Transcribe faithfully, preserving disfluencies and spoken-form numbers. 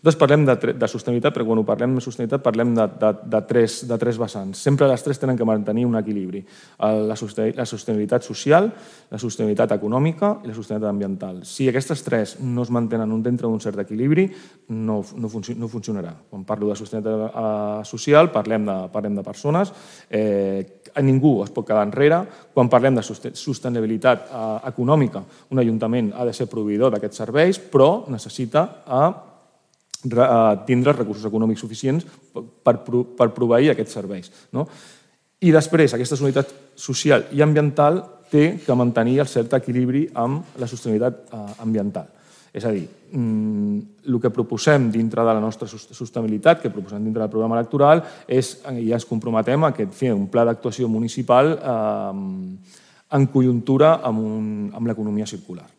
Nosaltres parlem de sostenibilitat, però quan ho parlem de sostenibilitat parlem de tres vessants. Sempre les tres tenen que mantenir un equilibri. La sostenibilitat social, la sostenibilitat econòmica i la sostenibilitat ambiental. Si aquestes tres no es mantenen dintre d'un cert equilibri, no funcionarà. Quan parlo de sostenibilitat social parlem de persones, ningú es pot quedar enrere. Quan parlem de sostenibilitat econòmica, un ajuntament ha de ser proveïdor d'aquests serveis, però necessita tindre els recursos econòmics suficients per proveir aquests serveis. I després, aquesta sostenibilitat social i ambiental té que mantenir el cert equilibri amb la sostenibilitat ambiental. És a dir, el que proposem dintre de la nostra sostenibilitat, que proposem dintre del programa electoral, és, i ja ens comprometem a fer un pla d'actuació municipal en conjuntura amb l'economia circular.